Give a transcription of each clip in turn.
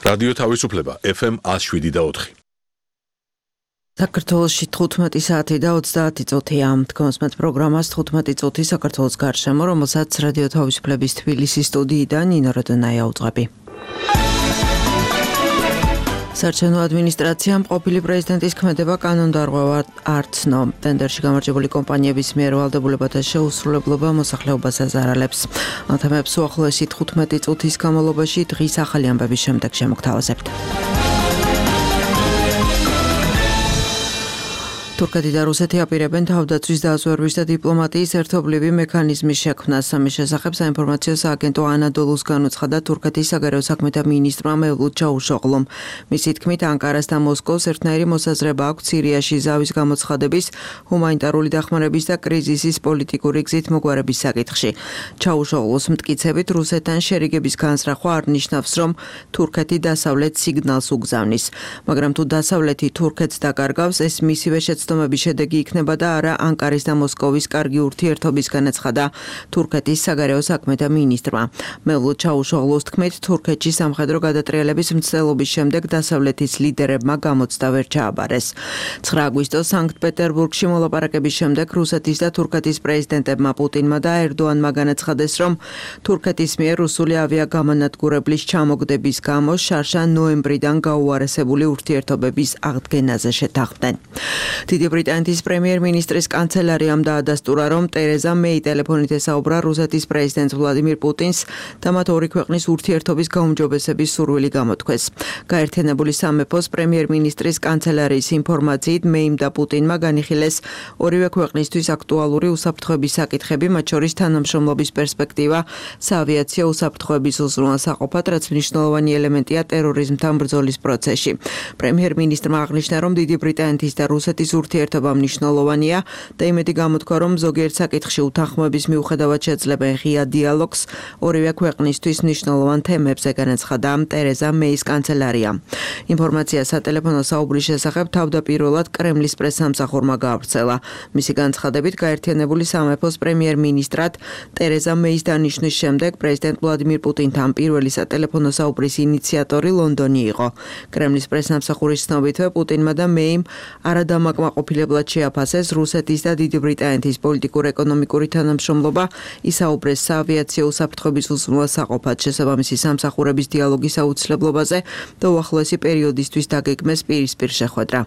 რადიო თავისუფლება FM 107.4. საქართველოში 15 საათი და 30 წუთია. თქვენს პროგრამას 15 წუთი საქართველოს გარშემო, რომელსაც რადიო თავისუფლების თბილისის სტუდიიდან ნინო როდონაია უძღვები. საარჩევნო ადმინისტრაციამ ყოფილი პრეზიდენტის ქმედება კანონდარღვევა არ ცნო. ტენდერში გამარჯვებული კომპანიების მიერ ვალდებულებათა შეუსრულებლობა მოსახლეობას აზარალებს. ამ თემებს უახლოესი 15 წუთის განმავლობაში დღის ახალი ამბების შემდეგ შემოგთავაზებთ. თურქეთი და რუსეთი აპირებენ თავდაცვის დაზვერვის და დიპლომატიის ერთობლივი მექანიზმის შექმნას. ამის შესახებ საინფორმაციო სააგენტო ანადოლუს განუცხადა თურქეთის საგარეო საქმეთა მინისტრმა მევლუდ ჩავუშოღლუმ. მისი თქმით, ანკარას და მოსკოვს ერთნაირი მოსაზრება აქვს სირიაში ზავის გამოცხადების, ჰუმანიტარული დახმარების და კრიზისის პოლიტიკური გზით მოგვარების საკითხში. ჩავუშოღლუს მტკიცებით, რუსეთთან შერიგების განსრახვა არ ნიშნავს, რომ თურქეთი დასავლეთ სიგნალს უგზავნის. მაგრამ თუ დასავლეთი თურქეთს დაკარგავს, ეს მისივე ცდომების შედეგი იქნება და არა ანკარის და მოსკოვის კარგი ურთიერთობის განაცხადა თურქეთის საგარეო საქმეთა მინისტრმა. მევლუდ ჩავუშოღლუს თქმით, თურქეთში სამხედრო გადატრიალების მცდელობის შემდეგ დასავლეთის ლიდერებმა გამოცდა ვერ ჩააბარეს. 9 აგვისტოს სანქტ-პეტერბურგში მოლაპარაკების შემდეგ რუსეთის და თურქეთის პრეზიდენტებმა პუტინმა და ერდოანმა განაცხადეს, რომ თურქეთის მიერ რუსული ავიაგამონადგურებლის ჩამოგდების გამო შარშა ნოემბრიდან გაუარესებული ურთიერთობების აღდგენაზე შეთანხმდნენ. დიდი ბრიტანეთის პრემიერ-მინისტრის კანცელერიამ დაადასტურა, რომ ტერეზა მეი ტელეფონით ესაუბრა რუსეთის პრეზიდენტ ვლადიმირ პუტინს და მათ ორი ქვეყნის ურთიერთობის გაუმჯობესების სურვილი გამოთქვეს. გაერთიანებული სამეფოს პრემიერ-მინისტრის კანცელერიის ინფორმაციით, მეიმ და პუტინმა განიხილეს ორივე ქვეყნისთვის აქტუალური უსაფრთხოების საკითხები, მათ შორის თანამშრომლობის პერსპექტივა საავიაციო უსაფრთხოების უზრუნველსაყოფად, რაც მნიშვნელოვანი ელემენტია ტერორიზმთან ბრძოლის პროცესში. პრემიერ-მინისტრმა აღნიშნა, რომ დიდი ბრიტანეთის და რუსეთის ურთიერთობა მნიშვნელოვანია და იმედი გამოთქვა, რომ ზოგიერთ საკითხში უთანხმოების მიუხედავად შეძლებენ ღია დიალოგს ორივე ქვეყნისთვის მნიშვნელოვან თემებზე, განაცხადა ტერეზა მეის კანცელარია. ინფორმაცია სატელეფონო საუბრის შესახებ თავდაპირველად კრემლის პრესსამსახურმა გაავრცელა. მისი განცხადებით, გაერთიანებული სამეფოს პრემიერ-მინისტრად ტერეზა მეის დანიშვნის შემდეგ პრეზიდენტ ვლადიმირ პუტინთან პირველი სატელეფონო საუბრის ინიციატორი ლონდონი იყო. კრემლის პრესსამსახურის ცნობითვე, პუტინმა და მეიმ არადამაკმაყოფილებლად შეაფასეს რუსეთის და დიდი ბრიტანეთის პოლიტიკურ-ეკონომიკური თანამშრომლობა, ისაუბრეს საავიაციო უსაფრთხოების უზრუნველსაყოფად, შესაბამისი სამსახურების დიალოგის აუცილებლობაზე და უახლოესი პერიოდისთვის დაგეგმეს პირისპირ შეხვედრა.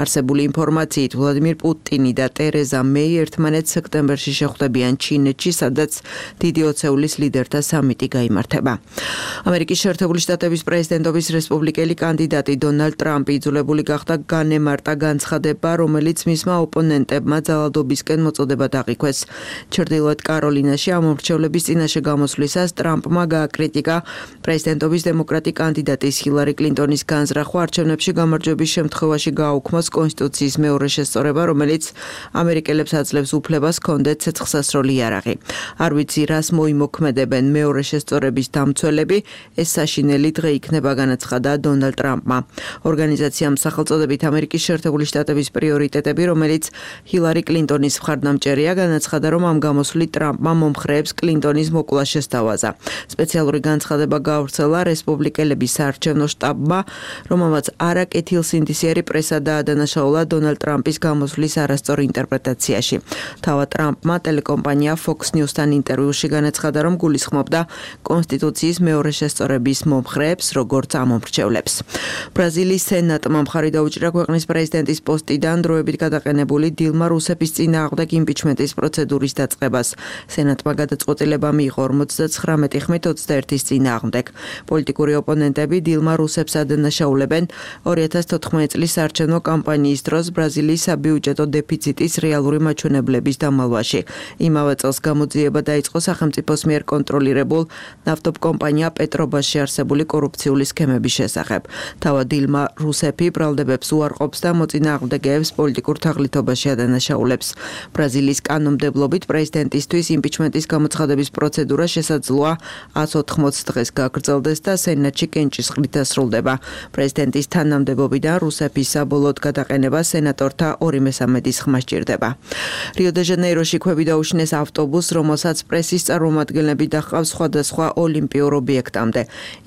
არსებული ინფორმაციით, ვლადიმირ პუტინი და ტერეზა მეი ერთმანეთს სექტემბერში შეხვდებიან ჩინეთში, სადაც დიდი ოცეულის ლიდერთა სამიტი გაიმართება. ამერიკის შეერთებული შტატების პრეზიდენტობის რესპუბლიკელი კანდიდატი დონალდ ტრამპი იძულებული გახდა განემარტა განცხადება, რომელიც მისმა ოპონენტებმა ძალადობისკენ მოწოდება დაყიქვეს. ჩრდილოეთ კაროლინაში ამომრჩევლების წინაშე გამოსვლისას ტრამპმა გააკრიტიკა პრეზიდენტობის დემოკრატი კანდიდატის ჰილარი კლინტონის განზრახვა, არჩევნებში გამარჯვების შემთხვევაში გააუქმოს კონსტიტუციის მეორე შესწორება, რომელიც ამერიკელებს აძლევს უფლებას ჰქონდეთ ცეცხლსასროლი იარაღი. არ ვიცი, რას მოიმოქმედებენ მეორე შესწორების დამცველები, ეს საშინელი დღე იქნება, განაცხადა დონალდ ტრამპმა. ორგანიზაციამ სახელწოდებით ამერიკის შეერთებული შტატების პრიორიტეტები, რომელიც ჰილარი კლინტონის მხარდამჭერია, განაცხადა, რომ ამ გამოსვლით ტრამპმა მომხრეებს კლინტონის მოკლა შესთავაზა. სპეციალური განცხადება გაავრცელა რესპუბლიკელების საარჩევნო შტაბმა, რომელმაც არაკეთილსინდისიერი პრესა დაადანაშაულა დონალდ ტრამპის გამოსვლის არასწორ ინტერპრეტაციაში. თავად ტრამპმა ტელეკომპანია Fox News-თან ინტერვიუში განაცხადა, რომ გულისხმობდა კონსტიტუციის მეორე შესწორების მომხრეებს, როგორც ამომრჩევლებს. ბრაზილიის სენატმა მხარი დაუჭირა ქვეყნის პრეზიდენტის პოსტიდან დროებით გადაყენებული დილმა რუსეფის წინააღმდეგ იმპიჩმენტის პროცედურის დაწყებას. სენატმა გადაწყვეტილება მიიღო 59 ხმით 21-ის წინააღმდეგ. პოლიტიკური ოპონენტები დილმა რუსეფს ადანაშაულებენ 2014 წლის საარჩევნო კამპანიის დროს ბრაზილიის საბიუჯეტო დეფიციტის რეალური მაჩვენებლების დამალვაში. იმავე წელს გამოძიება დაიწყო სახელმწიფოს მიერ კონტროლირებულ ნავთობკომპანია პეტრობასში არსებული კორუფციული სქემების შესახებ. თავად დილმა რუსეფი ბრალდებებს უარყოფს და მოწინააღმდეგეებს პოლიტიკურ თაღლითობაში ადანაშაულებს. ბრაზილიის კანონმდებლობით პრეზიდენტისთვის იმპიჩმენტის გამოცხადების პროცედურა შესაძლოა 180 დღეს გაგრძელდეს და სენატში კენჭისყრით დასრულდება. პრეზიდენტის თანამდებობიდან რუსეფის საბოლოოდ გადაყენება სენატორთა 2/3 ხმა სჭირდება. რიო-დე-ჟანეიროში ქვევი დაუშინეს ავტობუსს, რომელსაც პრესის წარმომადგენლები დაჰყავს სხვადასხვა ოლიმპიურ ობიექტამდე.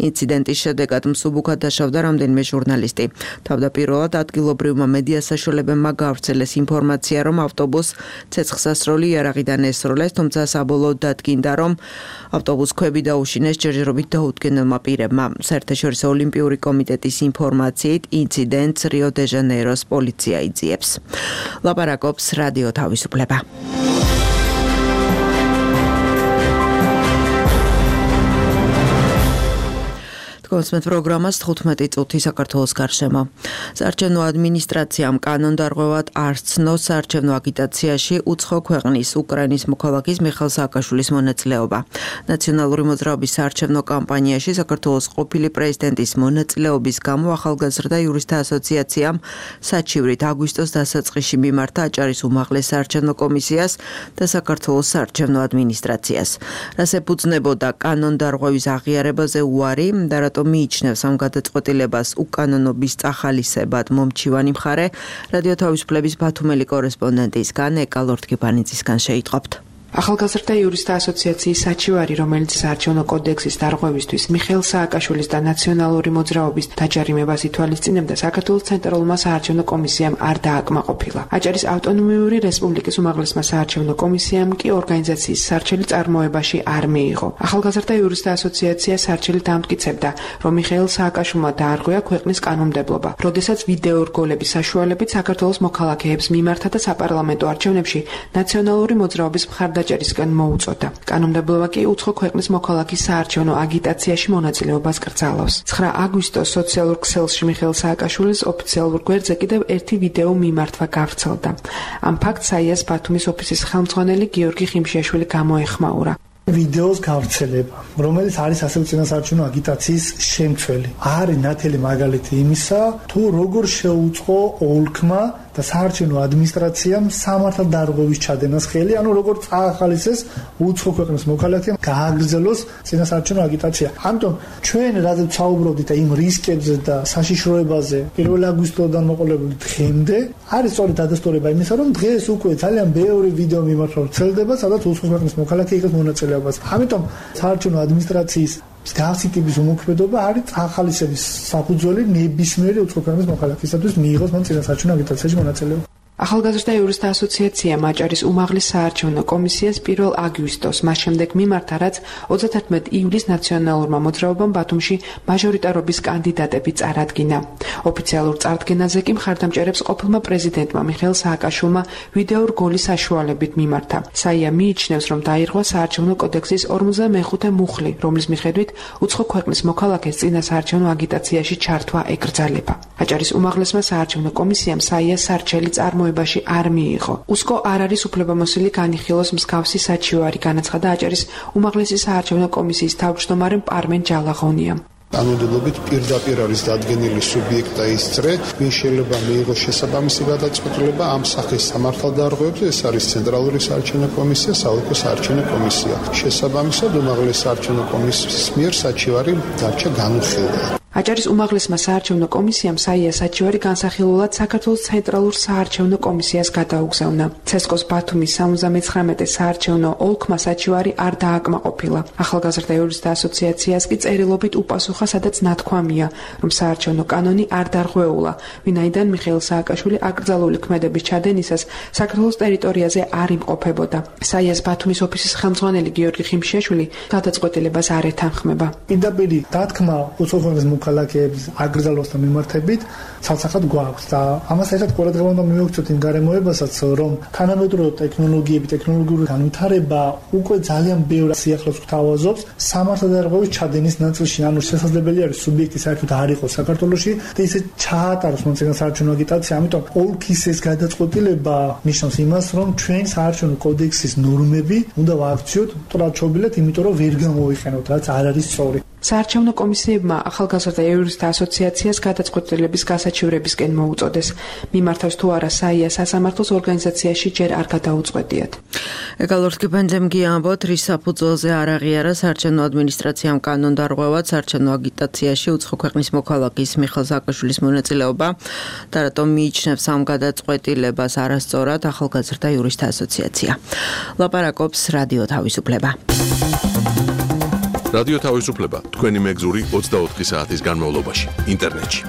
ინციდენტის შედეგად მსუბუქად დაშავდა რამდენიმე ჟურნალისტი. თავდაპირველად ადგილობრივმა მედია საშუალებებმა გაავრცელეს ინფორმაცია, რომ ავტობუსს ცეცხლსასროლი იარაღიდან ესროლეს, თუმცა საბოლოოდ დადგინდა, რომ ავტობუსს ქვევი დაუშინეს ჯერჯერობით დაუდგენელმა პირებმა. საერთაშორისო ოლიმპიური კომიტეტის ინფორმაციით ინციდენტს რიო-დე-ჟანეიროს პოლიცია იძიებს. ლაპარაკობს რადიო თავისუფლება. კონსმეთ პროგრამას 15 წუთი საქართველოს გარშემო. საარჩევნო ადმინისტრაციამ კანონდარღვევად არ ცნო საარჩევნო აგიტაციაში უცხო ქვეყნის უკრაინის მოქალაქის მიხეილ სააკაშვილის მონაწილეობა. ნაციონალური მოძრაობის საარჩევნო კამპანიაში საქართველოს ყოფილი პრეზიდენტის მონაწილეობის გამო ახალგაზრდა იურისტთა ასოციაციამ საჩივრით აგვისტოს დასაწყისში მიმართა აჭარის უმაღლეს საარჩევნო კომისიას და საქართველოს საარჩევნო ადმინისტრაციას. რას ეფუძნებოდა კანონდარღვევის აღიარებაზე უარი და მიიჩნევს ამ გადაწყვეტილებას უკანონობის წახალისებად მომჩივანი მხარე. რადიო თავისუფლების ბათუმელი კორესპონდენტისგან ეკა ლორთქიფანიძისგან შეიტყობთ. ახალგაზრდა იურისტთა ასოციაციის საჩივარი, რომელიც საარჩევნო კოდექსის დარღვევისთვის მიხეილ სააკაშვილის და ნაციონალური მოძრაობის დაჯარიმებას ითვალისწინებდა, საქართველოს ცენტრალურმა საარჩევნო კომისიამ არ დააკმაყოფილა. აჭარის ავტონომიური რესპუბლიკის უმაღლესმა საარჩევნო კომისიამ კი ორგანიზაციის სარჩელი წარმოებაში არ მიიღო. ახალგაზრდა იურისტთა ასოციაცია სარჩელით ამტკიცებდა, რომ მიხეილ სააკაშვილმა დაარღვია ქვეყნის კანონმდებლობა, როდესაც ვიდეო რგოლების საშუალებით საქართველოს მოქალაქეებს მიმართა და საპარლამენტო არჩევნებში ნაციონალური მოძრაობის მხარდაჭერისგან მოუწოდა. კანონმდებლობა კი უცხო ქვეყნის მოქალაქის საარჩევნო აგიტაციაში მონაწილეობას კრძალავს. 9 აგვისტოს სოციალურ ქსელში მიხეილ სააკაშვილის ოფიციალურ გვერდზე კიდევ ერთი ვიდეო მიმართვა გავრცელდა. ამ ფაქტს საიას ბათუმის ოფისის ხელმძღვანელი გიორგი ხიმშიაშვილი გამოეხმაურა. ვიდეოს გავრცელება, რომელიც არის ასევე წინასაარჩევნო აგიტაციის შემცველი. არის ნათელი მაგალითი იმისა, თუ როგორ შეუწყო ოლქმა და საარჩევნო ადმინისტრაციამ სამართალდარღვევის ჩადენას ხელი, ანუ როგორ წაახალისეს უცხო ქვეყნის მოქალაქემ გააგრძელოს წინასაარჩევნო აგიტაცია. ამიტომ ჩვენ რადგან საუბრობდით იმ რისკებზე და საშიშროებაზე 1 აგვისტოდან მოყოლებული დღემდე, არის სწორედ დადასტურება იმისა, რომ დღეს უკვე ძალიან ბევრი ვიდეო მიმართვა ვრცელდება, სადაც უცხო ქვეყნის მოქალაქე იღებს მონაწილეობას. ამიტომ საარჩევნო ადმინისტრაციის მსგავსი ტიპის უმოქმედობა არის წახალისების საფუძველი ნებისმიერი უცხო ქვეყნის მოქალაქისათვის მიიღოს მან წინასაარჩევნო აგიტაციაში მონაწილეობა. ახალგაზრდა იურისტთა ასოციაციამ აჭარის უმაღლეს საარჩევნო კომისიას 1 აგვისტოს მას შემდეგ მიმართა, რაც 31 ივლისს ნაციონალურმა მოძრაობამ ბათუმში მაჟორიტარობის კანდიდატები წარადგინა. ოფიციალურ წარდგენაზე კი მხარდამჭერებს ყოფილმა პრეზიდენტმა მიხეილ სააკაშვილმა ვიდეო რგოლის საშუალებით მიმართა. საია მიიჩნევს, რომ დაირღვა საარჩევნო კოდექსის 45 მუხლი, რომლის მიხედვით უცხო ქვეყნის მოქალაქეს წინასაარჩევნო აგიტაციაში ჩართვა ეკრძალება. აჭარის უმაღლესმა საარჩევნო კომისიამ საიას სარჩელი წარმოებაში არ მიიღო. უსკო არ არის უფლებამოსილი განიხილოს მსგავსი საჩივარი, განაცხადა აჭარის უმაღლესი საარჩევნო კომისიის თავმჯდომარემ პარმენ ჯალაღონიამ. კანონმდებლობით პირდაპირ არის დადგენილი სუბიექტი და ის წრე, ვინ შეიძლება მიიღოს შესაბამისი გადაწყვეტილება ამ სახის სამართალდარღვევებზე, ეს არის ცენტრალური საარჩევნო კომისია, საოლქო საარჩევნო კომისია. შესაბამისად, უმაღლესი საარჩევნო კომისიის მიერ საჩივარი დარჩა განუხილვა. აჭარის უმაღლესმა საარჩევნო კომისიამ საია საჩივარი განსახილველად საქართველოს ცენტრალურ საარჩევნო კომისიას გადაუგზავნა. ცესკოს ბათუმის 79 საარჩევნო ოლქმა საჩივარი არ დააკმაყოფილა. ახალგაზრდა იურისტთა ასოციაციას კი წერილობით უპასუხა, სადაც ნათქვამია, რომ საარჩევნო კანონი არ დარღვეულა, ვინაიდან მიხეილ სააკაშვილი აკრძალული ქმედების ჩადენისას საქართველოს ტერიტორიაზე არ იმყოფებოდა. საიას ბათუმის ოფისის ხელმძღვანელი გიორგი ხიმშიაშვილი გადაწყვეტილებას არ ეთანხმება. პირდაპირ დათქმა უცხო ქვეყნის მოქალაქეების აკრძალვასთან მიმართებით ცალსახად გვაქვს და ამას ერთად ყურადღება უნდა მივაქცევთ იმ გარემოებასაც, რომ თანამედროვე ტექნოლოგიები, ტექნოლოგიური განვითარება უკვე ძალიან ბევრ სიახლოვეს გვთავაზობს სამართალდარღვევის ჩადენის ნაწილში, ანუ შესაძლებელი არის სუბიექტი საერთოდ არ იყოს საქართველოში და ისე ჩაატაროს მომწინო საარჩევნო აგიტაცია, ამიტომ ოლქის ეს გადაწყვეტილება ნიშნავს იმას, რომ ჩვენ საარჩევნო კოდექსის ნორმები უნდა ვაქციოთ ტრაჩობილად, იმიტომ რომ ვერ გამოვიყენოთ, რაც არ არის სწორი. საარჩევნო კომისიებმა ახალგაზრდა ახალგაზრდა იურისტთა ასოციაციას გადაწყვეტილების გასაჩივრებისკენ მოუწოდეს. მიმართავს თუ არა საია სასამართლოს ორგანიზაციაში ჯერ არ გადაუწყვეტიათ. ეკალორთკიფენძემ გიამბოთ, რის საფუძველზე არ აღიარა საარჩევნო ადმინისტრაციამ კანონდარღვევად საარჩევნო აგიტაციაში უცხო ქვეყნის მოქალაქის მიხეილ სააკაშვილის მონაწილეობა და რატომ მიიჩნევს ამ გადაწყვეტილებას არასწორად ახალგაზრდა იურისტთა ასოციაცია. ლაპარაკობს რადიო თავისუფლება. რადიო თავისუფლება თქვენი მეგზური 24 საათის განმავლობაში ინტერნეტში.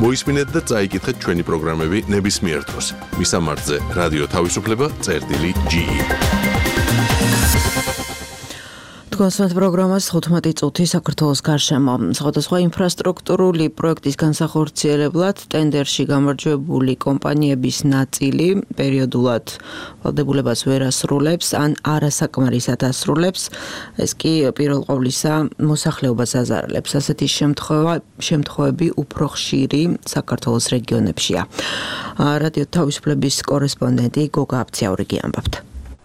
მოისმინეთ და წაიკითხეთ ჩვენი პროგრამები ნებისმიერ დროს. მისამართზე რადიო თავისუფლება.ge. თქვენს პროგრამას 15 წუთი საქართველოს გარშემო. სხვადასხვა ინფრასტრუქტურული პროექტის განსახორციელებლად ტენდერში გამარჯვებული კომპანიების ნაწილი პერიოდულად ვალდებულებას ვერ ასრულებს ან არასაკმარისად ასრულებს. ეს კი პირველ ყოვლისა მოსახლეობას აზარალებს. ასეთი შემთხვევები უფრო ხშირი საქართველოს რეგიონებშია. რადიო თავისუფლების კორესპონდენტი გოგა აბციაური ამბობთ.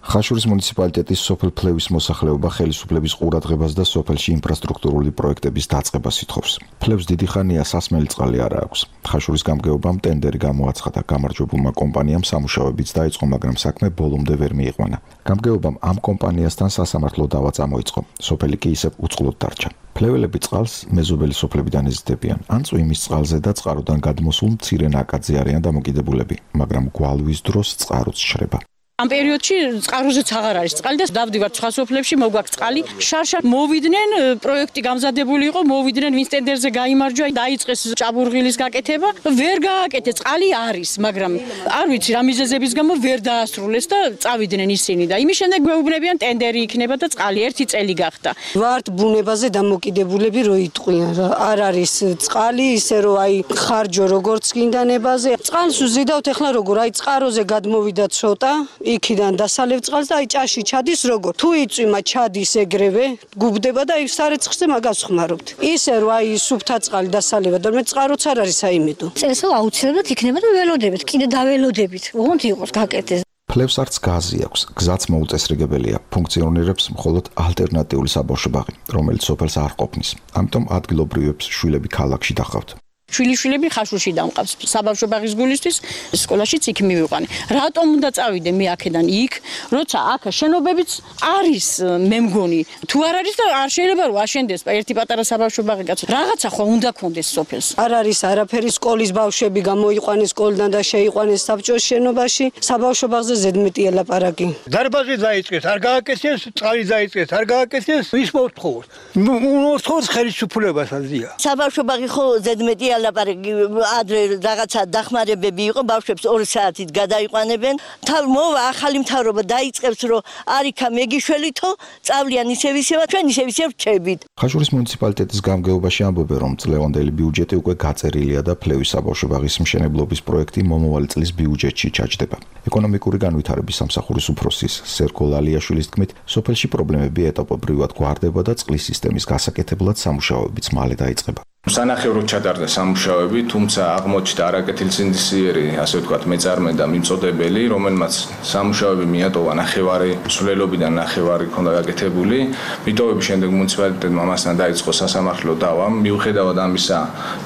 ხაშურის მუნიციპალიტეტის სოფელ ფლევის მოსახლეობა ხელისუფლების ყურადღებას და სოფელში ინფრასტრუქტურული პროექტების დაწყებას ითხოვს. ფლევს დიდი ხანია სასმელი წყალი არ აქვს. ხაშურის გამგეობამ ტენდერი გამოაცხადა გამარჯვებულმა კომპანიამ სამუშაოებიც დაიწყო, მაგრამ საქმე ბოლომდე ვერ მიიყვანა. გამგეობამ ამ კომპანიასთან სასამართლო დავა წამოიწყო. სოფელი კი ისევ უწყლოდ დარჩა. ფლეველები წყალს მეზობელი სოფლებიდან ეზიდებიან, ან წვიმის წყალზე და წყაროდან გადმოსულ მცირე ნაკადზე არიან დამოკიდებულები, მაგრამ გვალვის დროს წყაროც შრება. ამ პერიოდში წყაროზეც აღარ არის წყალი და დავდივართ სხვა სოფლებში, მოგვაქვს წყალი. შარშან მოვიდნენ, პროექტი გამზადებული იყო, მოვიდნენ ვინც ტენდერზე გაიმარჯვა, დაიწყეს ჭაბურღილის გაკეთება, ვერ გააკეთეს, წყალი არის, მაგრამ არ ვიცი რა მიზეზების გამო ვერ დაასრულეს და წავიდნენ ისინი და იმის შემდეგ გვეუბნებიან ტენდერი იქნება და წყალი 1 წელი გახდა. ვართ ბუნებაზე დამოკიდებულები რო იტყვიან რა. არ არის წყალი ისე რომ აი ხარჯო როგორც გინდა ნებაზე. წყალს ვზიდავთ ახლა როგორ, აი წყაროზე გადმოვიდა ცოტა იქიდან დასალევ წყალს და აი ჭაში ჩადის როგორ თუ იწვიმა ჩადის ეგრევე გუბდება და აი სარეცხზე მაგას ხმარობთ ისე რომ აი სუფთა წყალი დასალევა და მე წყაროც არ არის აიმედო წესო აუცილებლად იქნება და ველოდებით კიდე დაველოდებით ოღონდ იყოს გაკეთდეს ფლევს არც გაზი აქვს გზაც მოუწესრიგებელია ფუნქციონირებს მხოლოდ ალტერნატიული საბავშვო ბაღი რომელიც სოფელს არ ყოფნის ამიტომ ადგილობრივებს შვილები ქალაქში დახავთ შვილიშვილები ხაშურში დამყავს საბავშვო ბაღის გულისთვის სკოლაშიც იქ მივიყვანე. რატომ უნდა წავიდე მე აქედან იქ, როცა აქ შენობებიც არის მე მგონი. თუ არ არის და არ შეიძლება რომ აშენდეს ერთი პატარა საბავშვო ბაღი კაცო. რაღაცა ხო უნდა კონდეს სოფელს. არ არის არაფერი სკოლის ბავშვები გამოიყვანეს სკოლიდან და შეიყვანეს საბჭოს შენობაში. საბავშვო ბაღზე ზედმეტი ელაპარაკი. დარბაზი დაიწყეს, არ გააკეთეს, წყალი დაიწყეს, არ გააკეთეს, ის მოთხოვს. მოთხოვს ხელისუფლებას აზია. საბავშვო ბაღი ხო ზედმეტი ლაპარაკი ადრე რაღაცა დახმარებები იყო ბავშვებს 2 საათით გადაიყვანებენ თავ მოვა ახალი მთავრობა დაიწყებს რომ არიქა მეგიშველითო წავლიან ისევ ჩვენ ისევ რჩებით ხაშურის მუნიციპალიტეტის გამგეობაში ამბობენ რომ წლევანდელი ბიუჯეტი უკვე გაწერილია და ფლევის საბავშვო ბაღის მშენებლობის პროექტი მომავალი წლის ბიუჯეტში ჩაჯდება ეკონომიკური განვითარების სამსახურის უფროსის სერგო ლალიაშვილის თქმით სოფელში პრობლემები ეტაპობრივად გვარდება და წყლის სისტემის გასაკეთებლად სამუშაოებიც მალე დაიწყება სანახევროდ ჩატარდა სამუშაოები, თუმცა აღმოჩნდა არაკეთილსინდისიერი, ასე ვთქვათ, მეწარმე და მიმწოდებელი, რომელმაც სამუშაოები მიატოვა ნახევარი სულელობიდან ნახევარი ქონდა გაკეთებული. მიტოვების შემდეგ მუნიციპალიტეტმა მასთან დაიწყო სასამართლო დავა. მიუხედავად ამისა,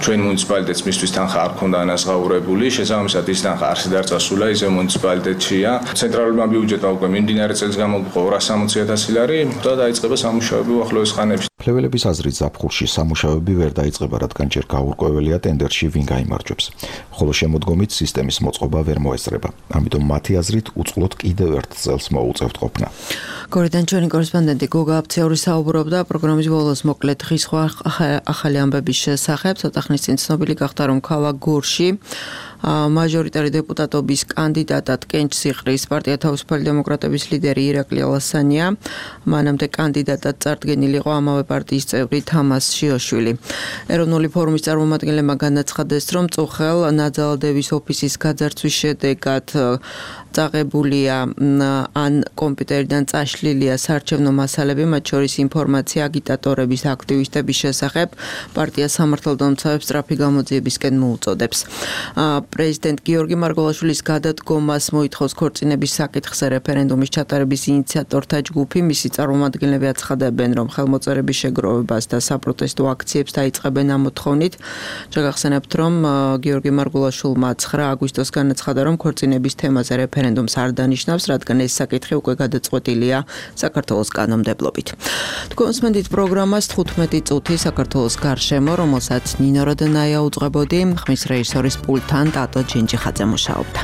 ჩვენ მუნიციპალიტეტს მისთვის თანხა არ ქონდა ანაზღაურებული, შესაბამისად ის თანხა არ შედარწმულა, ისე მუნიციპალიტეტშია. ცენტრალურმა ბიუჯეტმა უკვე მიმდინარე წელს გამოგვიყო 260,000 ლარი და დაიწყება სამუშაოები უახლოეს ხანებში. ფლეველების აზრით ზაფხულში სამუშაოები ვერ დაიწყება, რადგან ჯერ გაურკვეველია ტენდერში ვინ გაიმარჯვებს. ხოლო შემოდგომით სისტემის მოწყობა ვერ მოესწრება. ამიტომ მათი აზრით უწყლოდ კიდევ ერთ წელს მოუწევთ ყოფნა. გორიდან ჩვენი კორესპონდენტი გოგა აბციაური საუბრობდა პროგრამის ბოლოს მოკლედ ხის სხვა ახალი ამბების შესახებ. ცოტა ხნის წინ ცნობილი გახდა, რომ ქალაქ გორში მაჟორიტარი დეპუტატობის კანდიდატად კენჭ სიხრის პარტია თავისუფალი დემოკრატების ლიდერი ირაკლი ალასანია. მანამდე კანდიდატად წარდგენილი იყო ამავე პარტიის წევრი თამას შიოშვილი. ეროვნული ფორუმის წარმომადგენლებმა განაცხადეს, რომ წუხელ ნაძალდევის ოფისის გაძარცვის შედეგად წაღებულია ან კომპიუტერიდან წაშლილია საარჩევნო მასალები, მათ შორის ინფორმაცია აგიტატორების, აქტივისტების შესახებ პარტია სამართალდამცავებს სწრაფი გამოძიებისკენ მოუწოდებს. პრეზიდენტ გიორგი მარგველაშვილის გადადგომას მოითხოვს ქორწინების საკითხზე რეფერენდუმის ჩატარების ინიციატორთა ჯგუფი. მისი წარმომადგენლები აცხადებენ, რომ ხელმოწერების შეგროვებას და საპროტესტო აქციებს დაიწყებენ ამ მოთხოვნით. შეგახსენებთ, რომ გიორგი მარგველაშვილმა 9 აგვისტოს განაცხადა, რომ ქორწინების თემაზე რეფერენდუმს არ დანიშნავს, რადგან ეს საკითხი უკვე გადაწყვეტილია საქართველოს კანონმდებლობით. თქვენს მენდით პროგრამას 15 წუთი საქართველოს გარშემო, რომელსაც ნინო როდენაია უძღვებოდი, ხმის რეჟისორის პულტთან ტატო ჯინჯიხაძე მუშაობდა.